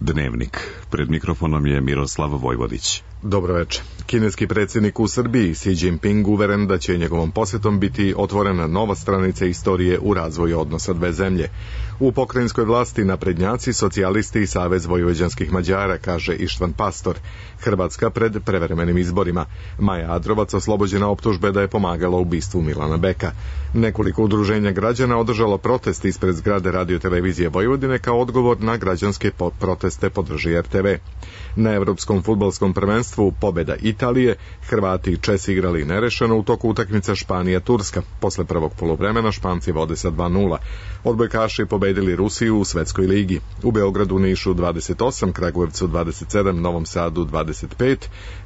Dnevnik. Pred mikrofonom je Miroslav Vojvodić. Dobro večer. Kineski predsjednik u Srbiji Xi Jinping uveren da će njegovom posjetom biti otvorena nova stranica istorije u razvoju odnosa dve zemlje. U pokrajinskoj vlasti naprednjaci, socijalisti i Savez vojvođanskih Mađara, kaže Ištvan Pastor. Hrvatska pred prevremenim izborima. Maja Adrovac oslobođena optužbe da je pomagala ubistvu Milana Beka. Nekoliko udruženja građana održalo protest ispred zgrade Radio-televizije Vojvodine kao odgovor na građanske proteste podrži RTV. Na Evropskom fudbalskom prvenstvu pobjeda Italije, Hrvati i Česi igrali nerešeno u toku utakmica Španija-Turska. Posle prvog poluvremena Španci vode sa 2:0. Odbojkaši pobedili Rusiju u Svetskoj ligi. U Beogradu, Nišu 28, Kragujevcu 27, Novom Sadu 25.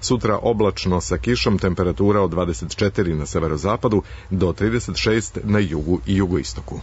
Sutra oblačno sa kišom, temperatura od 24 na severozapadu do 36 na jugu i jugoistoku.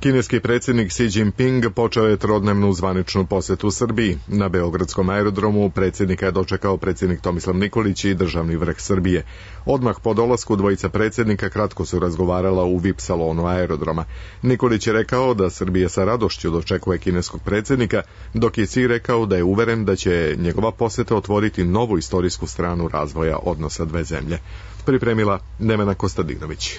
Kineski predsjednik Xi Jinping počeo je trodnevnu zvaničnu posjetu Srbiji. Na Beogradskom aerodromu predsjednika je dočekao predsjednik Tomislav Nikolić i državni vrh Srbije. Odmah po dolasku dvojica predsjednika kratko su razgovarala u VIP salonu aerodroma. Nikolić je rekao da Srbija sa radošću dočekuje kineskog predsjednika, dok je Xi rekao da je uveren da će njegova posjeta otvoriti novu istorijsku stranu razvoja odnosa dve zemlje. Pripremila Nevena Kostadinović.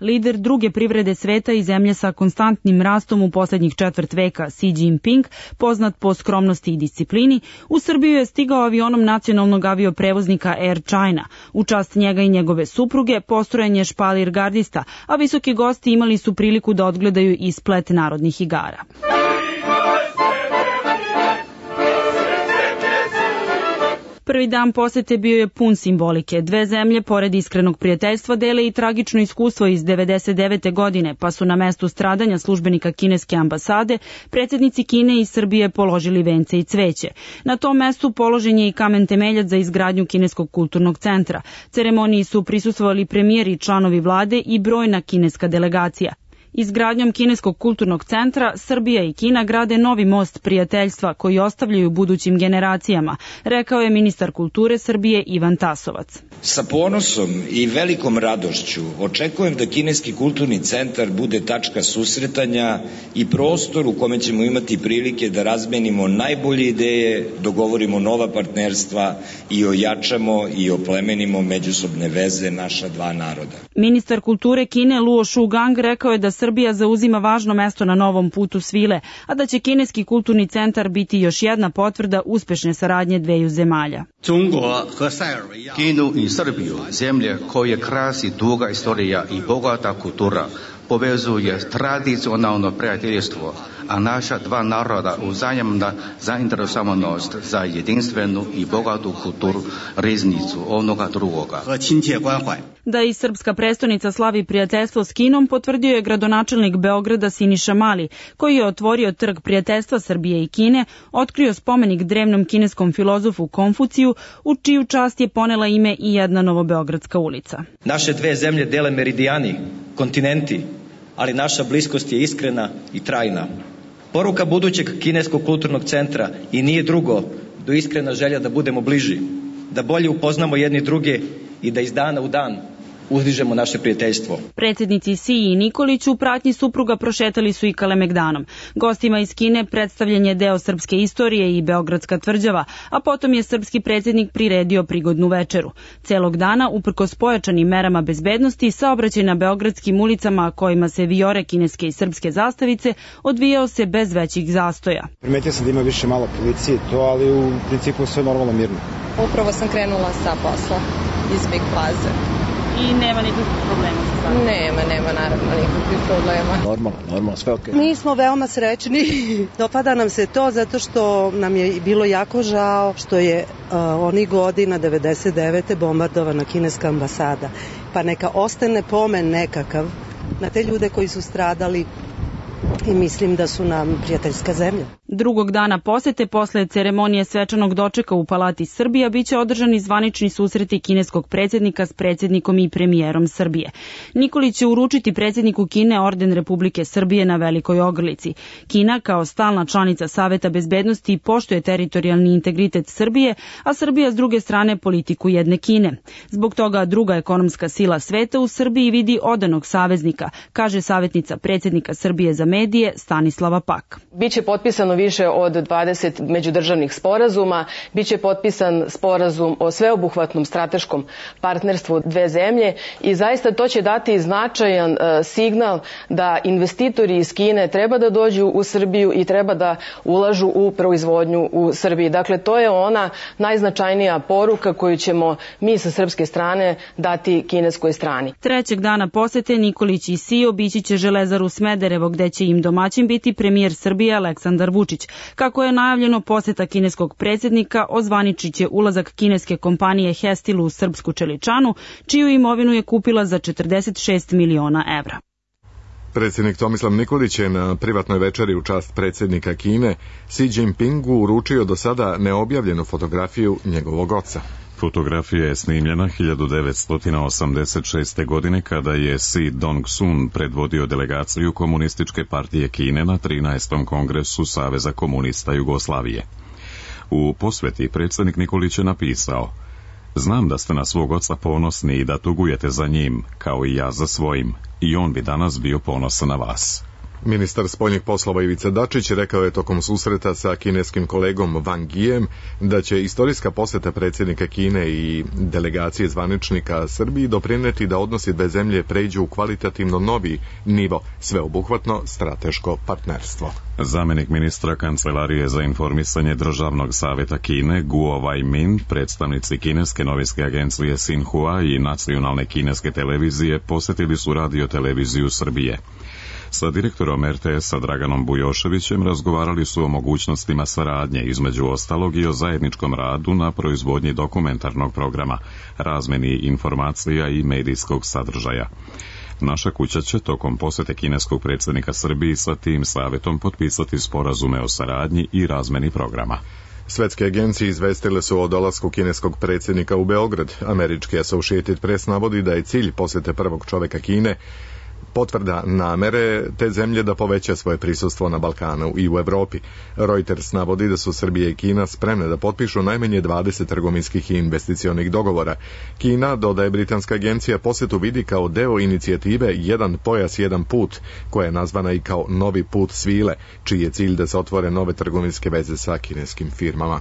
Lider druge privrede sveta i zemlje sa konstantnim rastom u posljednjih četvrt veka, Xi Jinping, poznat po skromnosti i disciplini, u Srbiju je stigao avionom nacionalnog avioprevoznika Air China. U čast njega i njegove supruge postrojen je špalir gardista, a visoki gosti imali su priliku da odgledaju i splet narodnih igara. Prvi dan posete bio je pun simbolike. Dve zemlje, pored iskrenog prijateljstva, dele i tragično iskustvo iz 1999. godine, pa su na mestu stradanja službenika kineske ambasade predsjednici Kine i Srbije položili vence i cveće. Na tom mestu položen je i kamen temeljac za izgradnju Kineskog kulturnog centra. Ceremoniji su prisustvovali premijeri i članovi vlade i brojna kineska delegacija. Izgradnjom Kineskog kulturnog centra Srbija i Kina grade novi most prijateljstva koji ostavljaju budućim generacijama, rekao je ministar kulture Srbije Ivan Tasovac. Sa ponosom i velikom radošću očekujem da Kineski kulturni centar bude tačka susretanja i prostor u kome ćemo imati prilike da razmenimo najbolje ideje, dogovorimo nova partnerstva i ojačamo i oplemenimo međusobne veze naša dva naroda. Ministar kulture Kine Luo Shugang rekao je da Srbija zauzima važno mesto na novom putu svile, a da će Kineski kulturni centar biti još jedna potvrda uspešne saradnje dveju zemalja. Kinu i Srbiju, zemlje koje krasi duga istorija i bogata kultura, povezuje tradicionalno prijateljstvo, a naša dva naroda uzajamna zainteresovanost za jedinstvenu i bogatu kulturu riznicu onoga drugoga. Da i srpska prestonica slavi prijateljstvo s Kinom potvrdio je gradonačelnik Beograda Siniša Mali, koji je otvorio trg prijateljstva Srbije i Kine, otkrio spomenik drevnom kineskom filozofu Konfuciju, u čiju čast je ponela ime i jedna novobeogradska ulica. Naše dve zemlje dele meridijani, kontinenti, ali naša bliskost je iskrena i trajna. Poruka budućeg Kineskog kulturnog centra i nije drugo do iskrena želja da budemo bliži, da bolje upoznamo jedni druge i da iz dana u dan uzdižemo naše prijateljstvo. Predsjednici Xi i Nikolić u pratnji supruga prošetali su i Kalemegdanom. Gostima iz Kine predstavljen je deo srpske istorije i Beogradska tvrđava, a potom je srpski predsjednik priredio prigodnu večeru. Celog dana, uprkos pojačanim merama bezbednosti, saobraćaj na beogradskim ulicama kojima se vijore kineske i srpske zastavice odvijao se bez većih zastoja. Primetio sam da ima više malo policije, ali u principu sve normalno mirno. Upravo sam krenula sa posla iz Big Plaze. I nema nikakvih problema sa stvarom? Nema naravno nikakvih problema. Normalno, sve okej. Mi smo veoma srećni, dopada nam se to zato što nam je bilo jako žao što je onih godina 99. bombardovana kineska ambasada. Pa neka ostane pomen nekakav na te ljude koji su stradali i mislim da su nam prijateljska zemlja. Drugog dana posete, posle ceremonije svečanog dočeka u Palati Srbija, biće održani zvanični susreti kineskog predsjednika s predsjednikom i premijerom Srbije. Nikolić će uručiti predsjedniku Kine orden Republike Srbije na Velikoj Ogrlici. Kina, kao stalna članica Saveta bezbednosti, poštuje teritorijalni integritet Srbije, a Srbija s druge strane politiku jedne Kine. Zbog toga druga ekonomska sila sveta u Srbiji vidi odanog saveznika, kaže savjetnica predsjednika Srbije za medije Stanislava Pak. Biće potpisano više od 20 međudržavnih sporazuma, biće potpisan sporazum o sveobuhvatnom strateškom partnerstvu dve zemlje i zaista to će dati značajan signal da investitori iz Kine treba da dođu u Srbiju i treba da ulažu u proizvodnju u Srbiji. Dakle, to je ona najznačajnija poruka koju ćemo mi sa srpske strane dati kineskoj strani. Trećeg dana posete Nikolić i Si obići će Železaru Smederevo, gde će im domaćin biti premijer Srbije Aleksandar Vučić. Kako je najavljeno, poseta kineskog predsjednika ozvaničit će ulazak kineske kompanije Hestil u srpsku Čeličanu, čiju imovinu je kupila za 46 miliona evra. Predsjednik Tomislav Nikolić je na privatnoj večeri u čast predsjednika Kine Xi Jinpingu uručio do sada neobjavljenu fotografiju njegovog oca. Fotografija je snimljena 1986. godine kada je Si Dong-sun predvodio delegaciju Komunističke partije Kine na 13. kongresu Saveza komunista Jugoslavije. U posveti predsjednik Nikolić je napisao: "Znam da ste na svog oca ponosni i da tugujete za njim, kao i ja za svojim, i on bi danas bio ponosan na vas." Ministar spoljnih poslova Ivica Dačić rekao je tokom susreta sa kineskim kolegom Wang Yijem da će istorijska poseta predsjednika Kine i delegacije zvaničnika Srbiji doprineti da odnosi dve zemlje pređu u kvalitativno novi nivo, sveobuhvatno strateško partnerstvo. Zamenik ministra Kancelarije za informisanje Državnog savjeta Kine Guo Weimin, predstavnici kineske novinske agencije Xinhua i nacionalne kineske televizije posjetili su radioteleviziju Srbije. Sa direktorom RTS-a Draganom Bujoševićem razgovarali su o mogućnostima saradnje, između ostalog i o zajedničkom radu na proizvodnji dokumentarnog programa, razmeni informacija i medijskog sadržaja. Naša kuća će tokom posjete kineskog predsjednika Srbiji sa tim savjetom potpisati sporazume o saradnji i razmeni programa. Svetske agencije izvestile su o dolasku kineskog predsjednika u Beograd. Američki Associated Press navodi da je cilj posjete prvog čovjeka Kine potvrda namere te zemlje da poveća svoje prisustvo na Balkanu i u Evropi. Reuters navodi da su Srbija i Kina spremne da potpišu najmanje 20 trgovinskih i investicionih dogovora. Kina, dodaje britanska agencija, posjetu vidi kao deo inicijative Jedan pojas, jedan put, koja je nazvana i kao Novi put svile, čiji je cilj da se otvore nove trgovinske veze sa kineskim firmama.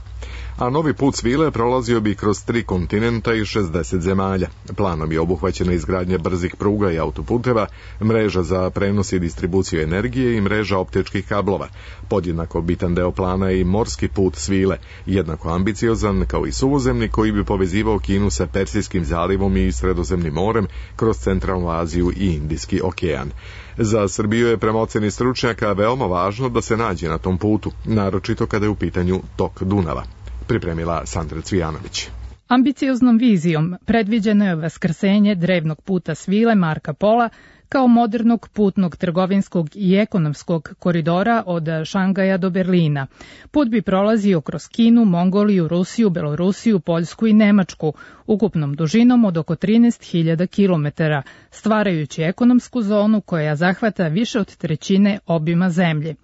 A Novi put svile prolazio bi kroz 3 kontinenta i 60 zemalja. Planom je obuhvaćena izgradnja brzih pruga i autoputeva, mreža za prenos i distribuciju energije i mreža optičkih kablova. Podjednako bitan deo plana je i morski put svile, jednako ambiciozan kao i suvozemni koji bi povezivao Kinu sa Persijskim zalivom i Sredozemnim morem kroz Centralnu Aziju i Indijski okean. Za Srbiju je prema oceni stručnjaka veoma važno da se nađe na tom putu, naročito kada je u pitanju tok Dunava. Pripremila Sandra Cvijanović. Ambicioznom vizijom predviđeno je vaskrsenje drevnog puta svile Marka Pola kao modernog putnog trgovinskog i ekonomskog koridora od Šangaja do Berlina. Put bi prolazio kroz Kinu, Mongoliju, Rusiju, Belorusiju, Poljsku i Nemačku, ukupnom dužinom od oko 13.000 km, stvarajući ekonomsku zonu koja zahvata više od trećine obima zemlje.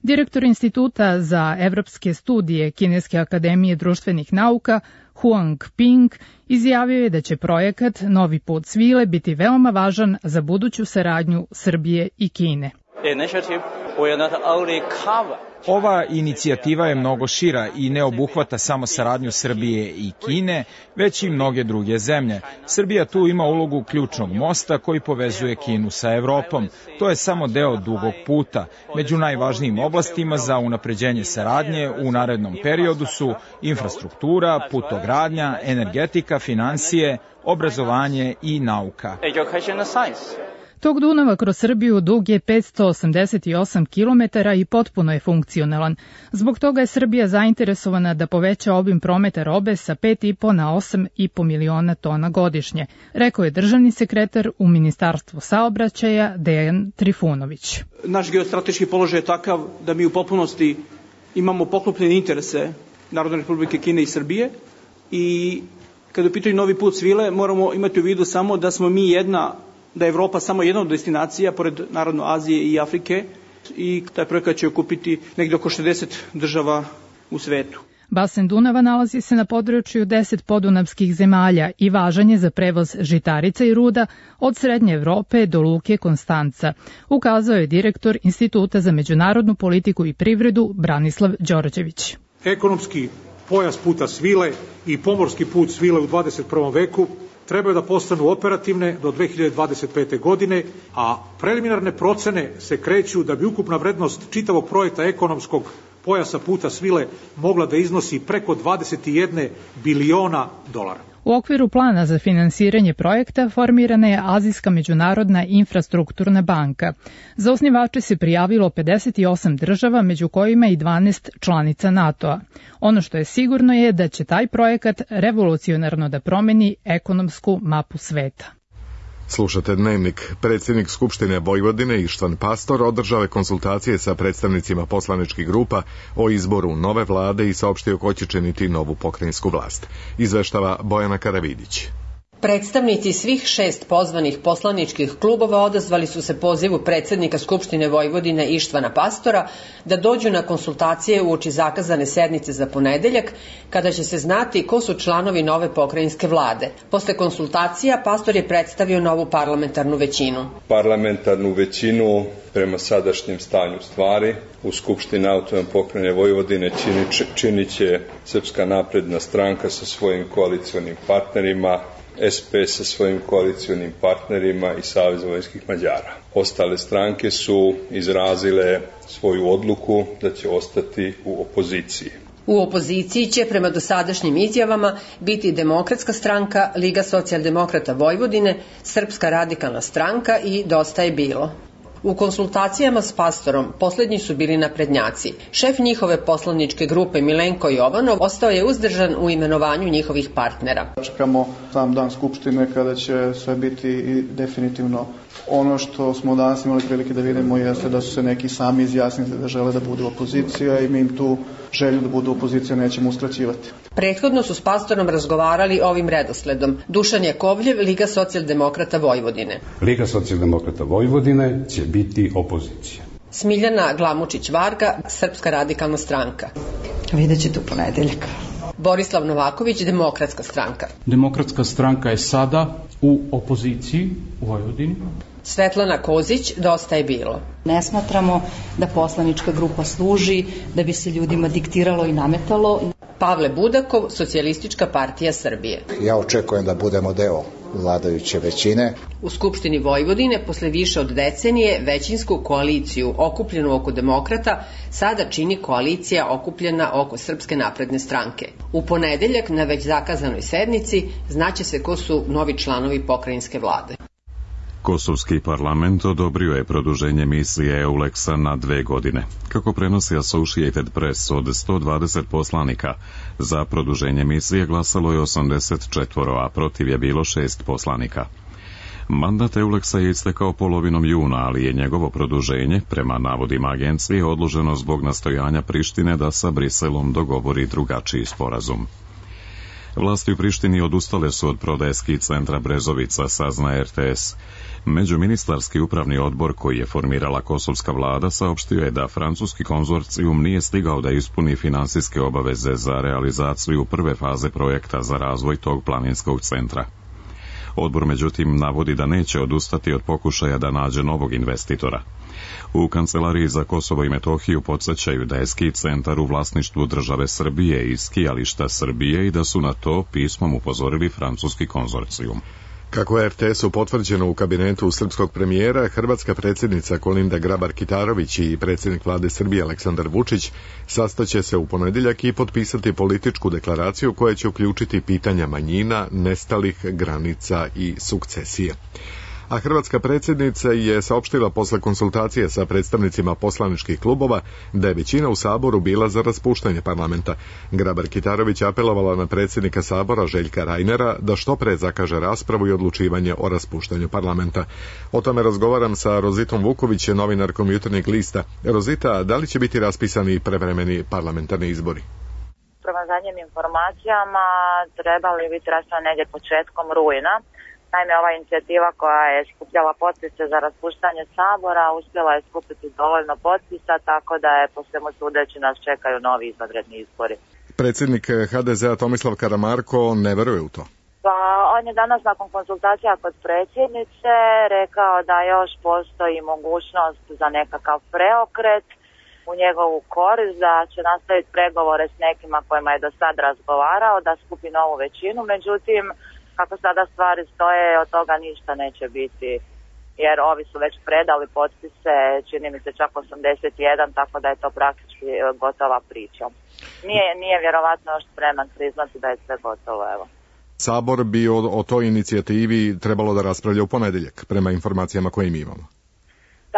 Direktor Instituta za evropske studije Kineske akademije društvenih nauka Huang Ping izjavio je da će projekat Novi put svile biti veoma važan za buduću saradnju Srbije i Kine. Ova inicijativa je mnogo šira i ne obuhvata samo saradnju Srbije i Kine, već i mnoge druge zemlje. Srbija tu ima ulogu ključnog mosta koji povezuje Kinu sa Evropom. To je samo deo dugog puta. Među najvažnijim oblastima za unapređenje saradnje u narednom periodu su infrastruktura, putogradnja, energetika, financije, obrazovanje i nauka. Tok Dunava kroz Srbiju dug je 588 km i potpuno je funkcionalan. Zbog toga je Srbija zainteresovana da poveća obim prometa robe sa 5,5 na 8,5 miliona tona godišnje, rekao je državni sekretar u Ministarstvu saobraćaja Dejan Trifunović. Naš geostrateški položaj je takav da mi u potpunosti imamo poklopljene interese Narodne republike Kine i Srbije i kada u pitanju novi put svile moramo imati u vidu samo da smo mi da je Evropa samo jedna od destinacija pored naravno Azije i Afrike i taj projekat će okupiti negde oko 60 država u svetu. Basen Dunava nalazi se na području 10 podunavskih zemalja i važan je za prevoz žitarica i ruda od Srednje Evrope do luke Konstanca, ukazao je direktor Instituta za međunarodnu politiku i privredu Branislav Đorđević. Ekonomski pojas puta svile i pomorski put svile u 21. veku trebaju da postanu operativne do 2025. godine, a preliminarne procene se kreću da bi ukupna vrednost čitavog projekta ekonomskog pojasa puta svile mogla da iznosi preko 21 biliona dolara. U okviru plana za finansiranje projekta formirana je Azijska međunarodna infrastrukturna banka. Za osnivače se prijavilo 58 država, među kojima i 12 članica NATO-a. Ono što je sigurno je da će taj projekat revolucionarno da promeni ekonomsku mapu sveta. Slušate Dnevnik. Predsjednik Skupštine Vojvodine Ištvan Pastor održao je konsultacije sa predstavnicima poslaničkih grupa o izboru nove vlade i saopštio ko će činiti novu pokrajinsku vlast. Izveštava Bojana Karavidić. Predstavnici svih 6 pozvanih poslaničkih klubova odazvali su se pozivu predsjednika Skupštine Vojvodine Ištvana Pastora da dođu na konsultacije uoči zakazane sednice za ponedeljak, kada će se znati ko su članovi nove pokrajinske vlade. Posle konsultacija Pastor je predstavio novu parlamentarnu većinu. Parlamentarnu većinu prema sadašnjem stanju stvari u Skupštini Autonomne pokrajine Vojvodine činit će Srpska napredna stranka sa svojim koalicionim partnerima, SP sa svojim koalicionim partnerima i Savez vojvođanskih Mađara. Ostale stranke su izrazile svoju odluku da će ostati u opoziciji. U opoziciji će prema dosadašnjim izjavama biti Demokratska stranka, Liga socijaldemokrata Vojvodine, Srpska radikalna stranka i Dosta je bilo. U konsultacijama s Pastorom posljednji su bili naprednjaci. Šef njihove poslaničke grupe Milenko Jovanov ostao je uzdržan u imenovanju njihovih partnera. Čekamo sam dan Skupštine kada će sve biti definitivno. Ono što smo danas imali prilike da vidimo jeste da su se neki sami izjasnili da žele da budu opozicija i mi im tu želju da budu opozicija nećemo uskraćivati. Prethodno su s Pastorom razgovarali ovim redosledom. Dušan Jakovljev, Liga socijaldemokrata Vojvodine. Liga socijaldemokrata Vojvodine će biti opozicija. Smiljana Glamučić-Varga, Srpska radikalna stranka. Vidjet ćete u ponedeljak. Borislav Novaković, Demokratska stranka. Demokratska stranka je sada u opoziciji u Vojvodini. Svetlana Kozić, Dosta je bilo. Ne smatramo da poslanička grupa služi da bi se ljudima diktiralo i nametalo. Pavle Budakov, Socijalistička partija Srbije. Ja očekujem da budemo deo vladajuće većine. U Skupštini Vojvodine posle više od decenije većinsku koaliciju okupljenu oko demokrata sada čini koalicija okupljena oko Srpske napredne stranke. U ponedeljak na već zakazanoj sednici znaće se ko su novi članovi pokrajinske vlade. Kosovski parlament odobrio je produženje misije EULEX-a na 2 godine. Kako prenosi Associated Press, od 120 poslanika za produženje misije glasalo je 84, a protiv je bilo 6 poslanika. Mandat EULEX-a je istekao polovinom juna, ali je njegovo produženje, prema navodima agencije, odloženo zbog nastojanja Prištine da sa Briselom dogovori drugačiji sporazum. Vlasti u Prištini odustale su od prodaje ski centra Brezovica, sazna RTS. Međuministarski upravni odbor koji je formirala kosovska vlada saopštio je da francuski konzorcijum nije stigao da ispuni finansijske obaveze za realizaciju prve faze projekta za razvoj tog planinskog centra. Odbor međutim navodi da neće odustati od pokušaja da nađe novog investitora. U Kancelariji za Kosovo i Metohiju podsjećaju da je ski centar u vlasništvu države Srbije i skijališta Srbije i da su na to pismom upozorili francuski konzorcijum. Kako je RTS-u potvrđeno u kabinetu srpskog premijera, hrvatska predsjednica Kolinda Grabar-Kitarović i predsjednik vlade Srbije Aleksandar Vučić sastaće se u ponedjeljak i potpisati političku deklaraciju koja će uključiti pitanja manjina, nestalih, granica i sukcesije. A hrvatska predsjednica je saopštila posle konsultacije sa predstavnicima poslaničkih klubova da je većina u Saboru bila za raspuštanje parlamenta. Grabar-Kitarović apelovala na predsjednika Sabora Željka Reinera da što pre zakaže raspravu i odlučivanje o raspuštanju parlamenta. O tome razgovaram sa Rozitom Vuković, novinarkom Jutarnjeg lista. Rozita, da li će biti raspisani prevremeni parlamentarni izbori? Prema zadnjim informacijama trebali biti raspisani negdje početkom rujna. Naime, ova inicijativa koja je skupljala potpise za raspuštanje Sabora uspjela je skupiti dovoljno potpisa, tako da je po svemu sudeći nas čekaju novi izvanredni izbori. Predsjednik HDZ-a Tomislav Karamarko ne veruje u to. Pa on je danas nakon konsultacija kod predsjednice rekao da još postoji mogućnost za nekakav preokret u njegovu korist, da će nastaviti pregovore s nekima kojima je do sad razgovarao, da skupi novu većinu, međutim kako sada stvari stoje, od toga ništa neće biti, jer ovi su već predali potpise, čini mi se čak 81, tako da je to praktički gotova priča. Nije vjerovatno još spreman priznati da je sve gotovo, evo. Sabor bi o toj inicijativi trebalo da raspravlja u ponedjeljak, prema informacijama koje mi imamo.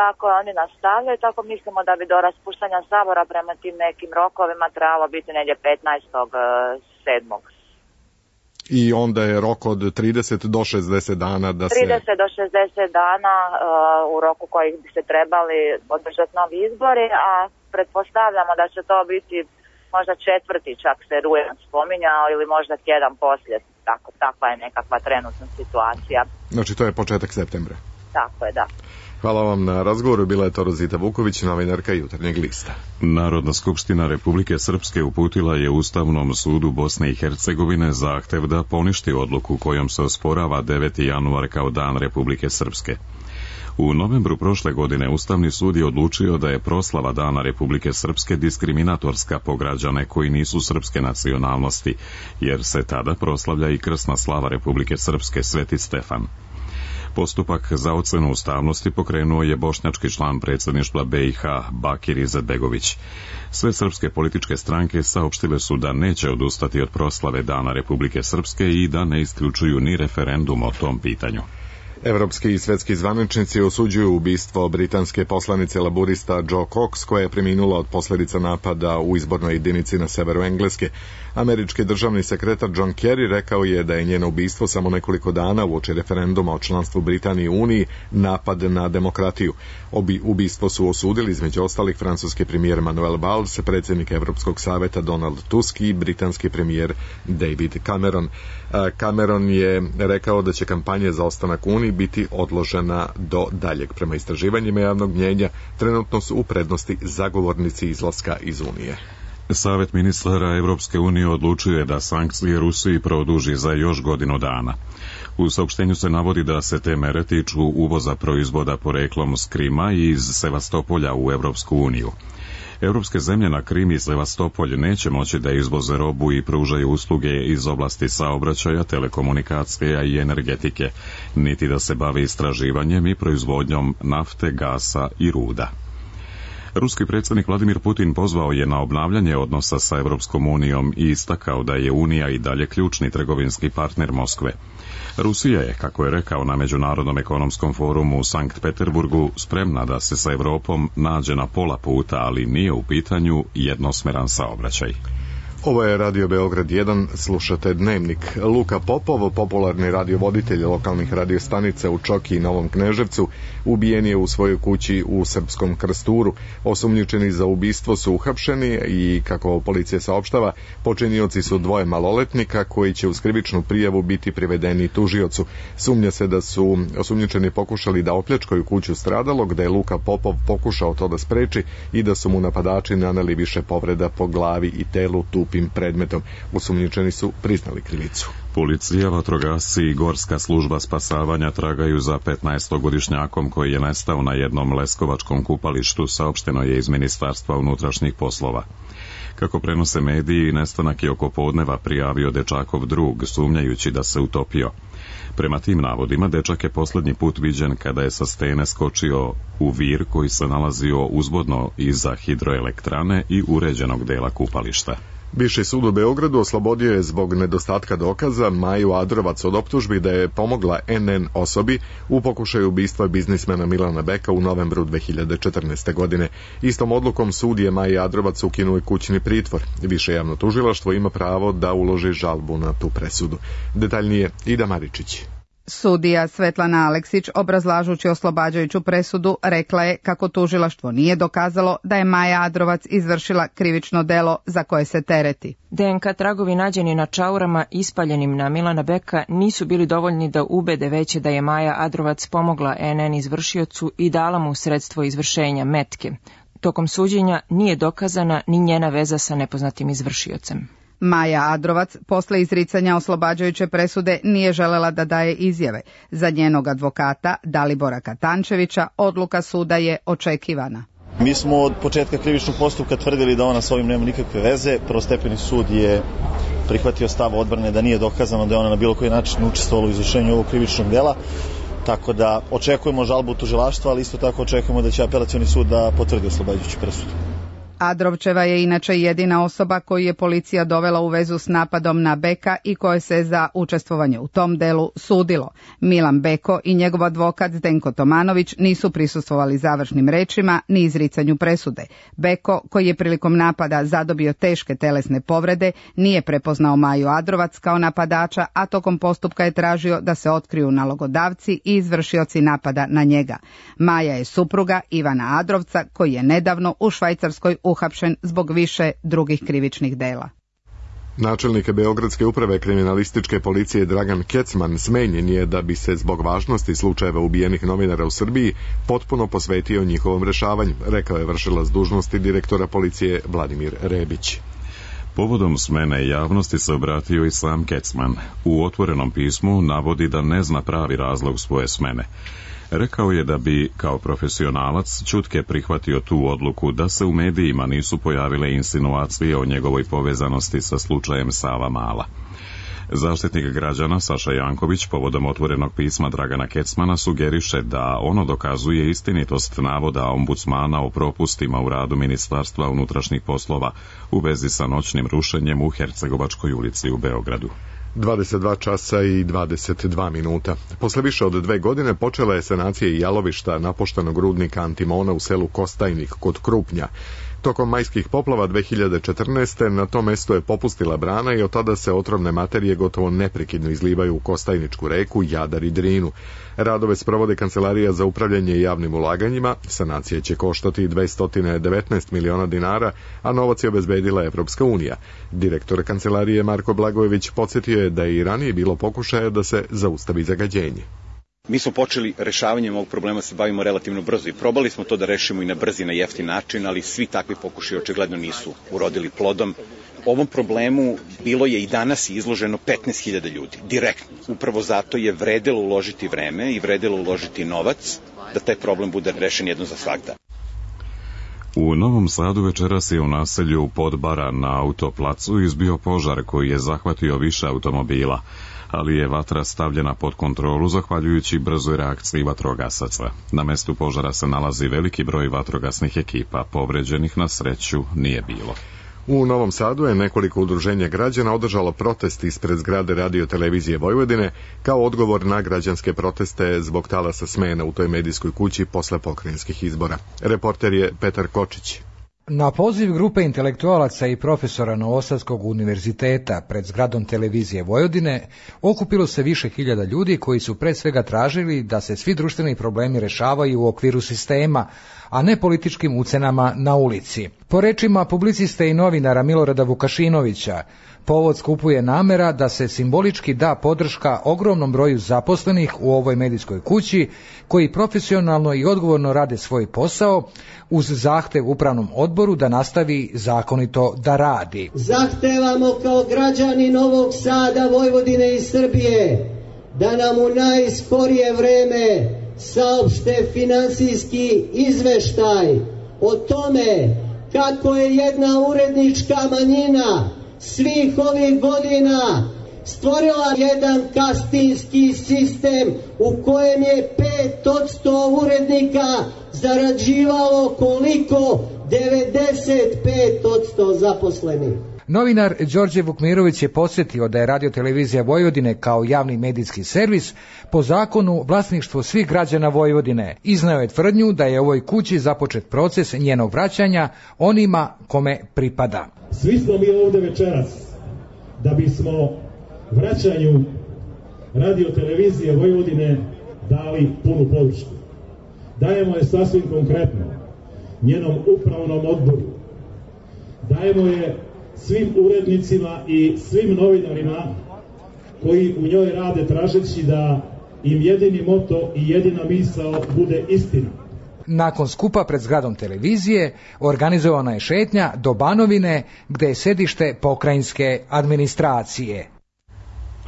Tako oni nastavljaju, tako mislimo da bi do raspuštanja Sabora prema tim nekim rokovima trebalo biti negdje 15.7. I onda je rok od 30 do 60 dana da se... 30 do 60 dana u roku kojih bi se trebali održati novi izbori, a pretpostavljamo da će to biti možda 4. čak se rujan spominjao ili možda tjedan poslije. Takva je nekakva trenutna situacija. Znači to je početak septembra. Tako je, da. Hvala vam na razgovoru, bila je to Rozita Vuković, novinarka Jutarnjeg lista. Narodna skupština Republike Srpske uputila je Ustavnom sudu Bosne i Hercegovine zahtev da poništi odluku kojom se osporava 9. januar kao dan Republike Srpske. U novembru prošle godine Ustavni sud je odlučio da je proslava Dana Republike Srpske diskriminatorska po građane koji nisu srpske nacionalnosti, jer se tada proslavlja i krsna slava Republike Srpske Sveti Stefan. Postupak za ocenu ustavnosti pokrenuo je bošnjački član predsjedništva BiH Bakir Izetbegović. Sve srpske političke stranke saopštile su da neće odustati od proslave Dana Republike Srpske i da ne isključuju ni referendum o tom pitanju. Evropski i svetski zvaničnici osuđuju ubistvo britanske poslanice laburista Jo Cox, koja je preminula od posljedica napada u izbornoj jedinici na severu Engleske. Američki državni sekretar John Kerry rekao je da je njeno ubistvo samo nekoliko dana uoči referenduma o članstvu Britanije u Uniji napad na demokratiju. Ubistvo su osudili između ostalih francuski premijer Manuel Valls, predsjednik Evropskog saveta Donald Tusk i britanski premijer David Cameron. Cameron je rekao da će kampanja za ostanak u Uniji biti odložena do daljeg. Prema istraživanjima javnog mnjenja, trenutno su u prednosti zagovornici izlaska iz Unije. Savet ministara Evropske unije odlučio je da sankcije Rusiji produži za još godinu dana. U saopštenju se navodi da se te mere tiču uvoza proizvoda poreklom s Krima i iz Sevastopolja u Evropsku uniju. Evropske zemlje na Krim i Sevastopolj neće moći da izvoze robu i pružaju usluge iz oblasti saobraćaja, telekomunikacija i energetike, niti da se bave istraživanjem i proizvodnjom nafte, gasa i ruda. Ruski predsjednik Vladimir Putin pozvao je na obnavljanje odnosa sa Evropskom unijom i istakao da je Unija i dalje ključni trgovinski partner Moskve. Rusija je, kako je rekao na Međunarodnom ekonomskom forumu u Sankt Peterburgu, spremna da se sa Evropom nađe na pola puta, ali nije u pitanju jednosmeran saobraćaj. Ovo je Radio Beograd 1, slušate Dnevnik. Luka Popov, popularni radiovoditelj lokalnih radiostanica u Čoki i Novom Kneževcu, ubijen je u svojoj kući u Srpskom Krsturu. Osumnjičeni za ubistvo su uhapšeni i, kako policija saopštava, počinioci su dvoje maloletnika koji će uz krivičnu prijavu biti privedeni tužiocu. Sumnja se da su osumnjičeni pokušali da opljačkaju kuću stradalog, da je Luka Popov pokušao to da spreči i da su mu napadači naneli više povreda po glavi i telu tupim predmetom. Osumnjičeni su priznali krivicu. Policija, vatrogasci i Gorska služba spasavanja tragaju za 15-godišnjakom koji je nestao na jednom leskovačkom kupalištu, saopšteno je iz Ministarstva unutrašnjih poslova. Kako prenose mediji, nestanak je oko podneva prijavio dečakov drug, sumnjajući da se utopio. Prema tim navodima, dečak je posljednji put viđen kada je sa stene skočio u vir koji se nalazio uzvodno iza hidroelektrane i uređenog dela kupališta. Viši sud u Beogradu oslobodio je zbog nedostatka dokaza Maju Adrovac od optužbi da je pomogla NN osobi u pokušaju ubistva biznismena Milana Beka u novembru 2014. godine. Istom odlukom sud je Maji Adrovac ukinuo kućni pritvor. Više javno tužilaštvo ima pravo da uloži žalbu na tu presudu. Detaljnije Ida Maričić. Sudija Svetlana Aleksić, obrazlažući oslobađajuću presudu, rekla je kako tužilaštvo nije dokazalo da je Maja Adrovac izvršila krivično delo za koje se tereti. DNK tragovi nađeni na čaurama ispaljenim na Milana Beka nisu bili dovoljni da ubede veće da je Maja Adrovac pomogla NN izvršiocu i dala mu sredstvo izvršenja metke. Tokom suđenja nije dokazana ni njena veza sa nepoznatim izvršiocem. Maja Adrovac posle izricanja oslobađajuće presude nije želela da daje izjave. Za njenog advokata Dalibora Katančevića odluka suda je očekivana. Mi smo od početka krivičnog postupka tvrdili da ona s ovim nema nikakve veze. Prvostepeni sud je prihvatio stav odbrane da nije dokazano da je ona na bilo koji način učestvovala u izvršenju ovog krivičnog dela. Tako da očekujemo žalbu tužilaštva, ali isto tako očekujemo da će apelacioni sud da potvrdi oslobađajuću presudu. Adrovčeva je inače jedina osoba koju je policija dovela u vezu s napadom na Beka i koje se za učestvovanje u tom delu sudilo. Milan Beko i njegov advokat Zdenko Tomanović nisu prisustvovali završnim rečima ni izricanju presude. Beko, koji je prilikom napada zadobio teške telesne povrede, nije prepoznao Maju Adrovac kao napadača, a tokom postupka je tražio da se otkriju nalogodavci i izvršioci napada na njega. Maja je supruga Ivana Adrovca, koji je nedavno u Švajcarskoj uhapšen zbog više drugih krivičnih dela. Načelnik Beogradske uprave kriminalističke policije Dragan Kecman smenjen je da bi se zbog važnosti slučajeva ubijenih novinara u Srbiji potpuno posvetio njihovom rešavanju, rekao je vršilac dužnosti direktora policije Vladimir Rebić. Povodom smene javnosti se obratio i sam Kecman. U otvorenom pismu navodi da ne zna pravi razlog svoje smene. Rekao je da bi, kao profesionalac, ćutke prihvatio tu odluku da se u medijima nisu pojavile insinuacije o njegovoj povezanosti sa slučajem Savamala. Zaštitnik građana Saša Janković povodom otvorenog pisma Dragana Kecmana sugeriše da ono dokazuje istinitost navoda ombudsmana o propustima u radu Ministarstva unutrašnjih poslova u vezi sa noćnim rušenjem u Hercegovačkoj ulici u Beogradu. 22 časa i 22 minuta. Posle više od 2 godine počela je sanacija jalovišta napuštenog rudnika antimona u selu Kostajnik kod Krupnja. Tokom majskih poplava 2014. na tom mestu je popustila brana i od tada se otrovne materije gotovo neprekidno izlivaju u Kostajničku reku, Jadar i Drinu. Radove sprovode Kancelarija za upravljanje javnim ulaganjima, sanacija će koštati 219 miliona dinara, a novac je obezbedila Evropska unija. Direktor Kancelarije Marko Blagojević podsjetio je da je i ranije bilo pokušaja da se zaustavi zagađenje. Mi smo počeli rešavanjem ovog problema, se bavimo relativno brzo i probali smo to da rešimo i na brzi, na jeftin način, ali svi takvi pokušaji očigledno nisu urodili plodom. Ovom problemu bilo je i danas izloženo 15.000 ljudi, direktno. Upravo zato je vredelo uložiti vreme i vredelo uložiti novac da taj problem bude rešen jedno za svagda. U Novom Sadu večeras je u naselju Podbara na autoplacu izbio požar koji je zahvatio više automobila, ali je vatra stavljena pod kontrolu zahvaljujući brzoj reakciji vatrogasaca. Na mestu požara se nalazi veliki broj vatrogasnih ekipa, povređenih na sreću nije bilo. U Novom Sadu je nekoliko udruženja građana održalo protest ispred zgrade Radio-televizije Vojvodine kao odgovor na građanske proteste zbog talasa smena u toj medijskoj kući posle pokrajinskih izbora. Reporter je Petar Kočić. Na poziv grupe intelektualaca i profesora Novosadskog univerziteta pred zgradom televizije Vojvodine okupilo se više hiljada ljudi koji su pre svega tražili da se svi društveni problemi rešavaju u okviru sistema, a ne političkim ucenama na ulici. Po rečima publiciste i novinara Milorada Vukašinovića, povod skupu je namera da se simbolički da podrška ogromnom broju zaposlenih u ovoj medijskoj kući koji profesionalno i odgovorno rade svoj posao uz zahtev upravnom odboru da nastavi zakonito da radi. Zahtevamo kao građani Novog Sada, Vojvodine i Srbije da nam u najskorije vreme saopšte finansijski izveštaj o tome kako je jedna urednička manjina svih ovih godina stvorila jedan kastinski sistem u kojem je 5% urednika zarađivalo koliko? 95% zaposlenih. Novinar Đorđe Vukmirović je podsjetio da je Radio-televizija Vojvodine kao javni medijski servis po zakonu vlasništvo svih građana Vojvodine. Izneo je tvrdnju da je ovoj kući započet proces njenog vraćanja onima kome pripada. Svi smo mi ovde večeras da bismo vraćanju Radio-televizije Vojvodine dali punu podršku. Dajemo je sasvim konkretno njenom upravnom odboru. Dajemo je svim urednicima i svim novinarima koji u njoj rade tražeći da im jedini moto i jedina misao bude istina. Nakon skupa pred zgradom televizije organizovana je šetnja do Banovine gde je sedište pokrajinske administracije.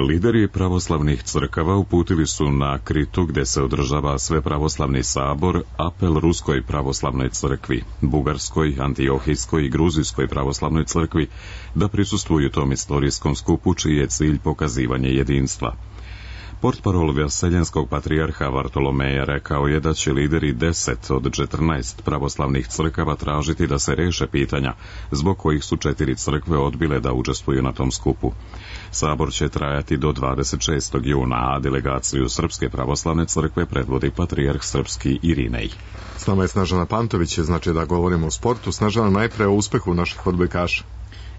Lideri pravoslavnih crkava uputili su na Kritu gde se održava Svepravoslavni sabor apel Ruskoj pravoslavnoj crkvi, Bugarskoj, Antiohijskoj i Gruzijskoj pravoslavnoj crkvi da prisustvuju tom istorijskom skupu čiji je cilj pokazivanje jedinstva. Portparol Vaseljenskog patrijarha Vartolomeja rekao je da će lideri 10 od 14 pravoslavnih crkava tražiti da se reše pitanja zbog kojih su 4 crkve odbile da učestvuju na tom skupu. Sabor će trajati do 26. juna, a delegaciju Srpske pravoslavne crkve predvodi patrijarh srpski Irinej. S nama je Snežana Pantović, znači da govorimo o sportu. Snežana, najpre o uspehu naših odbojkaša.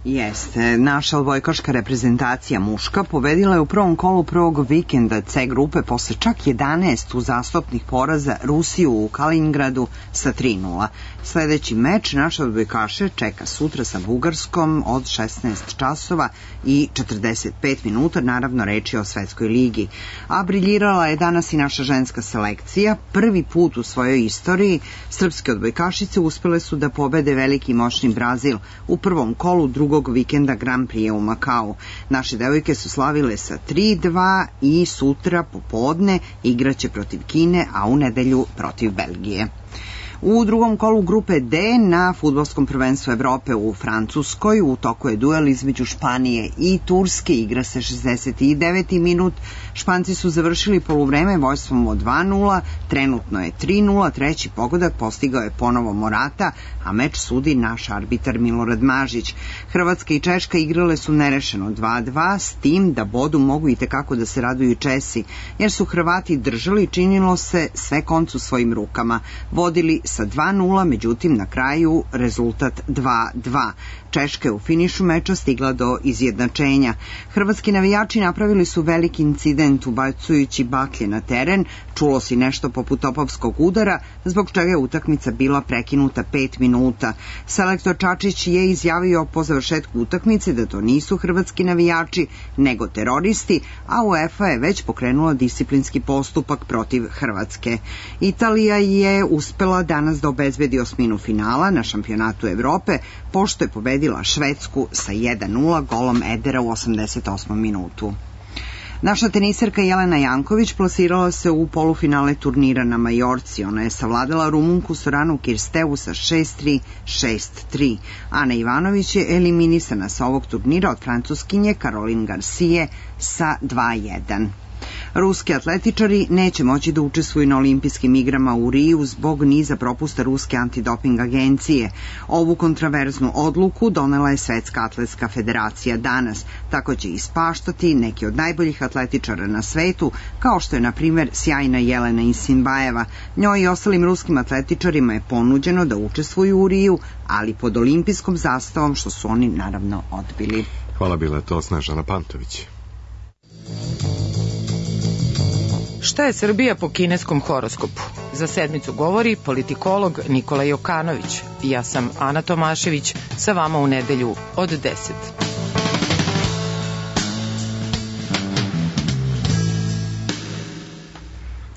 Jeste, naša odbojkaška reprezentacija muška pobedila je u prvom kolu prvog vikenda C grupe posle čak 11 uzastopnih poraza Rusiju u Kaliningradu sa 3:0. Sledeći meč naše odbojkaše čeka sutra sa Bugarskom od 16 časova i 45 minuta, naravno reč je o svetskoj ligi. A briljirala je danas i naša ženska selekcija. Prvi put u svojoj istoriji srpske odbojkašice uspele su da pobede veliki moćni Brazil u prvom kolu drugog vikenda Grand Prix u Makau. Naše devojke su slavile sa 3:2 i sutra popodne igraće protiv Kine, a u nedelju protiv Belgije. U drugom kolu grupe D na fudbalskom prvenstvu Evrope u Francuskoj u toku je duel između Španije i Turske, igra se 69. minut. Španci su završili poluvreme vojstvom od 2:0, trenutno je 3:0, treći pogodak postigao je ponovo Morata, a meč sudi naš arbitar Milorad Mažić. Hrvatska i Češka igrale su nerešeno 2:2, s tim da bodu mogu i tekako da se raduju Česi, jer su Hrvati držali, činilo se, sve koncu svojim rukama. Vodili sa 2:0, međutim na kraju rezultat 2:2. Češka je u finišu meča stigla do izjednačenja. Hrvatski navijači napravili su veliki incident ubacujući baklje na teren, čulo se nešto poput topovskog udara, zbog čega je utakmica bila prekinuta 5 minuta. Selektor Čačić je izjavio po završetku utakmice da to nisu hrvatski navijači, nego teroristi, a UEFA je već pokrenula disciplinski postupak protiv Hrvatske. Italija je uspela danas da obezbedi osminu finala na šampionatu Evrope, pošto je pobedila Švedsku sa 1:0 golom Edera u 88. minutu. Naša teniserka Jelena Janković plasirala se u polufinale turnira na Majorci. Ona je savladala Rumunku Soranu Kirstevu sa 6:3, 6:3. Ana Ivanović je eliminisana sa ovog turnira od Francuskinje Caroline Garcia sa 2:1. Ruski atletičari neće moći da učestvuju na olimpijskim igrama u Riju zbog niza propusta Ruske antidoping agencije. Ovu kontraverznu odluku donela je Svetska atletska federacija danas. Tako će ispaštati neki od najboljih atletičara na svetu, kao što je, na primjer, sjajna Jelena Isinbajeva. Njoj i ostalim ruskim atletičarima je ponuđeno da učestvuju u Riju, ali pod olimpijskom zastavom, što su oni naravno odbili. Hvala, bila je to Snežana Pantović. Šta je Srbija po kineskom horoskopu? Za sedmicu govori politikolog Nikola Jokanović. Ja sam Ana Tomašević, sa vama u nedelju od 10.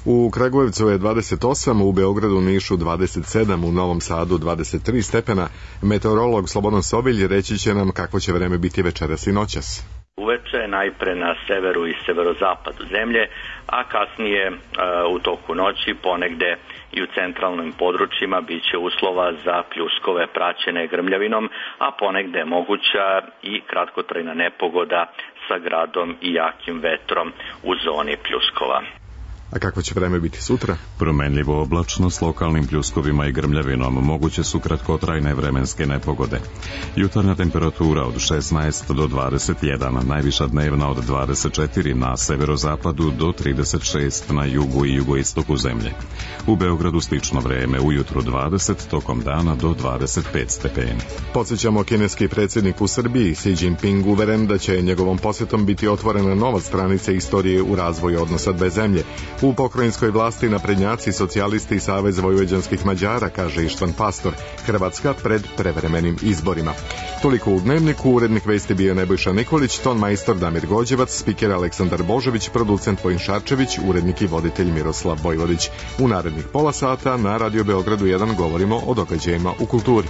U Kragujevcu je 28, u Beogradu, Nišu 27, u Novom Sadu 23 stepena. Meteorolog Slobodan Sobilj reći će nam kakvo će vreme biti večeras i noćas. Uveče najpre na severu i severozapadu zemlje, a kasnije u toku noći ponegde i u centralnim područjima biće uslova za pljuskove praćene grmljavinom, a ponegde moguća i kratkotrajna nepogoda sa gradom i jakim vetrom u zoni pljuskova. A kako će vreme biti sutra? Promenljivo oblačno s lokalnim pljuskovima i grmljavinom, moguće su kratkotrajne vremenske nepogode. Jutarnja temperatura od 16 do 21, najviša dnevna od 24 na severozapadu do 36 na jugu i jugoistoku zemlje. U Beogradu slično vreme, ujutru 20, tokom dana do 25 stepeni. Podsjećamo, kineski predsjednik u Srbiji Xi Jinping uveren da će njegovom posjetom biti otvorena nova stranica istorije u razvoju odnosa dve zemlje. U pokrajinskoj vlasti naprednjaci, socijalisti i Savez vojvođanskih Mađara, kaže Ištvan Pastor, Hrvatska pred prevremenim izborima. Toliko u Dnevniku, urednik vesti bio Nebojša Nikolić, ton majstor Damir Gođevac, spiker Aleksandar Božović, producent Vojin Šarčević, urednik i voditelj Miroslav Vojvodić. U narednih pola sata na Radio Beogradu 1 govorimo o događajima u kulturi.